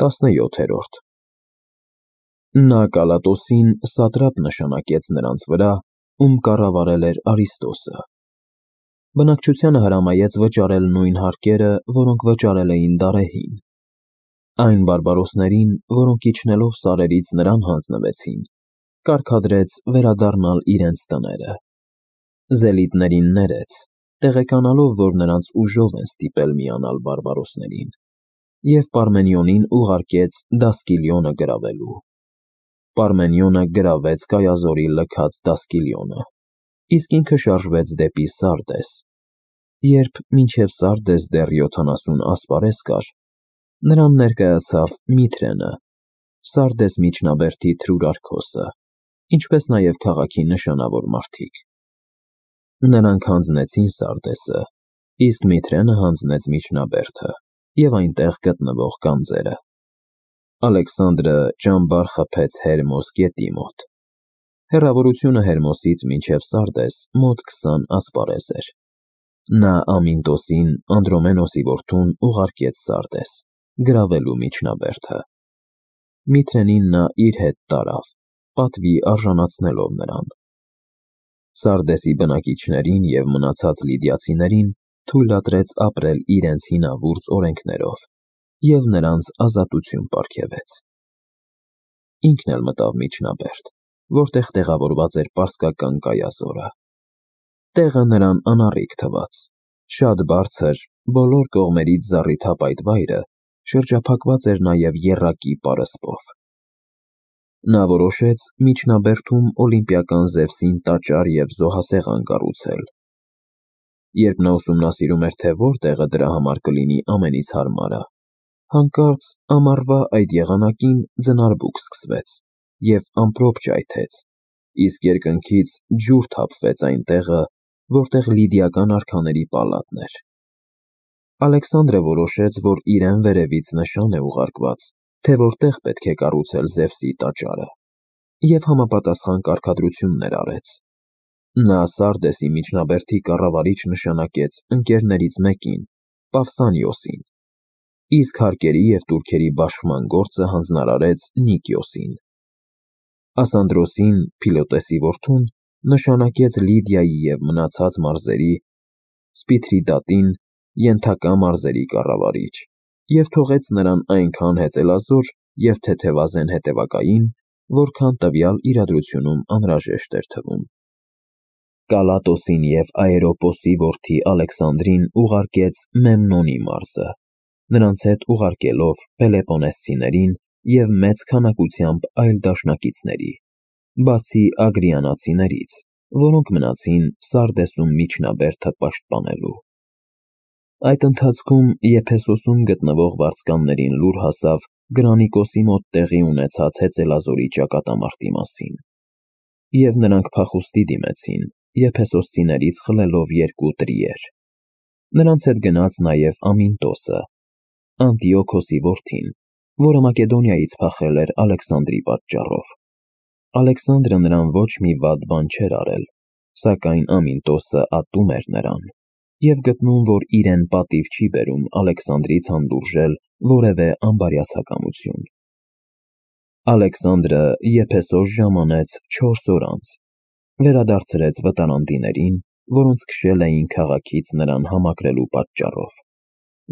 17-րդ Նա Կալատոսին սատրապ նշանակեց նրանց վրա, ում կառավարել էր Արիստոսը։ Բնակչությանը հրամայեց վճարել նույն հարկերը, որոնք վճարել էին դարեհին։ Այն բարբարոսներին, որոնք իջնելով սարերից նրան հանձնվեցին, կարգադրեց վերադառնալ իրենց տները։ Զելիտներին ներեց, տեղեկանալով, որ նրանց ուժով են ստիպել միանալ բարբարոսներին, և Պարմենիոնին ուղարկեց Դասկիլիոնը գրավելու։ Պարմենիոնը գրավեց Կայազորի լքած Դասկիլիոնը, իսկ ինքը շարժվեց դեպի Սարդես։ Երբ մինչև Սարդես դեռ 70 ասպարեզ կար, նրան ներկայացավ Միթրենը, Սարդես միջնաբերդի Թրուրարքոսը, ինչպես նաև քաղաքի նշանավոր մարդիկ։ Նրանք հանձնեցին Սարդեսը, իսկ Միթրենը հանձնեց միջնաբերդը և այնտեղ գտնվող գանձերը։ Ալեքսանդրը ճամբար խփեց Հերմոս գետի մոտ։ Հեռավորությունը Հերմոսից մինչև Սարդես մոտ 20 ասպարեզ էր։ Նա Ամինտոսին, Անդրոմենոսի որդուն, ուղարկեց Սարդես, գրավելու միջնաբերդը։ Միթրենին նա իր հետ տարավ, պատվի արժանացնելով նրան։ Սարդեսի բնակիչներին և մնացած լիդիացիներին թույլատրեց ապրել իրենց հինավուրց օրենքներով և նրանց ազատություն պարգևեց։ Ինքն էլ մտավ միջնաբերդ, որտեղ տեղավորված էր պարսկական Կայազորը։ Տեղը նրան անառիկ թվաց, շատ բարձր, բոլոր կողմերից զառիթափ այդ վայրը շրջափակված էր նաև եռակի պարսպով։ Նա որոշեց միջնաբերդում օլիմպիական Զևսին տաճար և զոհասեղան կառուցել։ Երբ նա ուսումնասիրում էր, թե որտեղը դրա համար կլինի ամենից հարմարը, հանկարծ ամառվա այդ եղանակին ձնարբուք սկսվեց և ամպրոպ ճայթեց, իսկ երկնքից ջուր թափվեց այն տեղը, որտեղ լիդիական արքաների պալատն էր։ Ալեքսանդրը որոշեց, որ իրեն վերևից նշան է ուղարկված, թե որտեղ պետք է կառուցել Զևսի տաճարը, և համապատասխան կարգադրություններ արեց։ Նա Սարդեսի միջնաբերդի կառավարիչ նշանակեց ընկերներից մեկին, Պավսանիոսին, իսկ հարկերի և տուրքերի բաշխման գործը հանձնարարեց Նիկիոսին։ Ասանդրոսին, Փիլոտեսի որդուն, նշանակեց Լիդիայի և մնացած մարզերի, Սպիթրիդատին, ենթակա մարզերի կառավարիչ, և թողեց նրան այնքան հեծելազոր և թեթևազեն հետևակային, որքան տվյալ իրադրությունում անհրաժեշտ էր թվում։ Կալատոսին և Աերոպոսի որդի Ալեքսանդրին ուղարկեց Մեմնոնի մարզը, նրանց հետ ուղարկելով պելեպոնեսցիներին և մեծ քանակությամբ այլ դաշնակիցների, բացի ագրիանացիներից, որոնք մնացին Սարդեսում միջնաբերդը պաշտպանելու։ Այդ ընթացքում Եփեսոսում գտնվող վարձկաններին լուր հասավ Գրանիկոսի մոտ տեղի ունեցած հեծելազորի ճակատամարտի մասին, և նրանք փախուստի դիմեցին, եփեսոսցիներից խլելով 2 տրիեր։ Նրանց հետ գնաց նաև Ամինտոսը, Անտիոքոսի որդին, որը Մակեդոնիայից փախել էր Ալեքսանդրի պատճառով։ Ալեքսանդրը նրան ոչ մի վատ բան չէր արել, սակայն Ամինտոսը ատում էր նրան և գտնում, որ իրեն պատիվ չի բերում Ալեքսանդրից հանդուրժել որևէ անբարյացակամություն։ Ալեքսանդրը Եփեսոս ժամանեց 4 օր անց, վերադարձրեց վտարանդիներին, որոնց քշել էին քաղաքից նրան համակրելու պատճառով,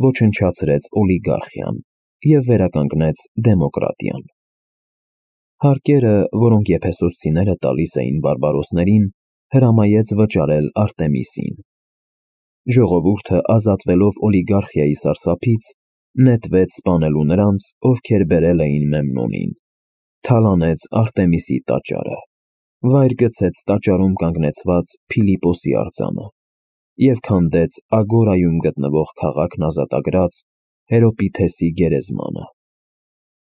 ոչնչացրեց օլիգարխիան և վերականգնեց դեմոկրատիան։ Հարկերը, որոնք եփեսոսցիները տալիս էին բարբարոսներին, հրամայեց վճարել Արտեմիսին։ Ժողովուրդը, ազատվելով օլիգարխիայի սարսափից, նետվեց սպանելու նրանց, ովքեր բերել էին Մեմնոնին, թալանեց Արտեմիսի տաճարը, վայր գցեց տաճարում կանգնեցված Փիլիպոսի արձանը և քանդեց Ագորայում գտնվող քաղաքն ազատագրած Հերոպիթեսի գերեզմանը։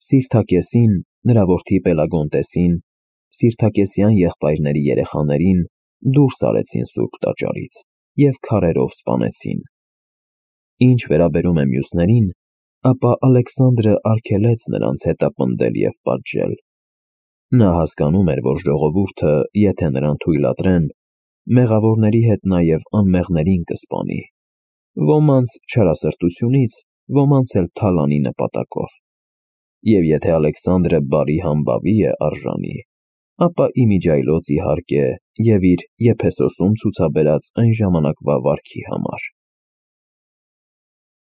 Սիրթակեսին, նրա որդի Պելագոնտեսին, Սիրթակեսյան եղբայրների երեխաներին դուրս արեցին սուրբ տաճարից և քարերով սպանեցին։ Ինչ վերաբերում է մյուսներին, ապա Ալեքսանդրը արգելեց նրանց հետապնդել և պատժել։ Նա հասկանում էր, որ ժողովուրդը, եթե նրան թույլատրեն, մեղավորների հետ նաև անմեղներին կսպանի, ոմանց չարասրտությունից, ոմանց էլ թալանի նպատակով։ Եվ եթե Ալեքսանդրը բարի համբավի է արժանի, ապա իմիջիայլոց իհարկե և իր Եփեսոսում ցուցաբերած այն ժամանակվա վարքի համար։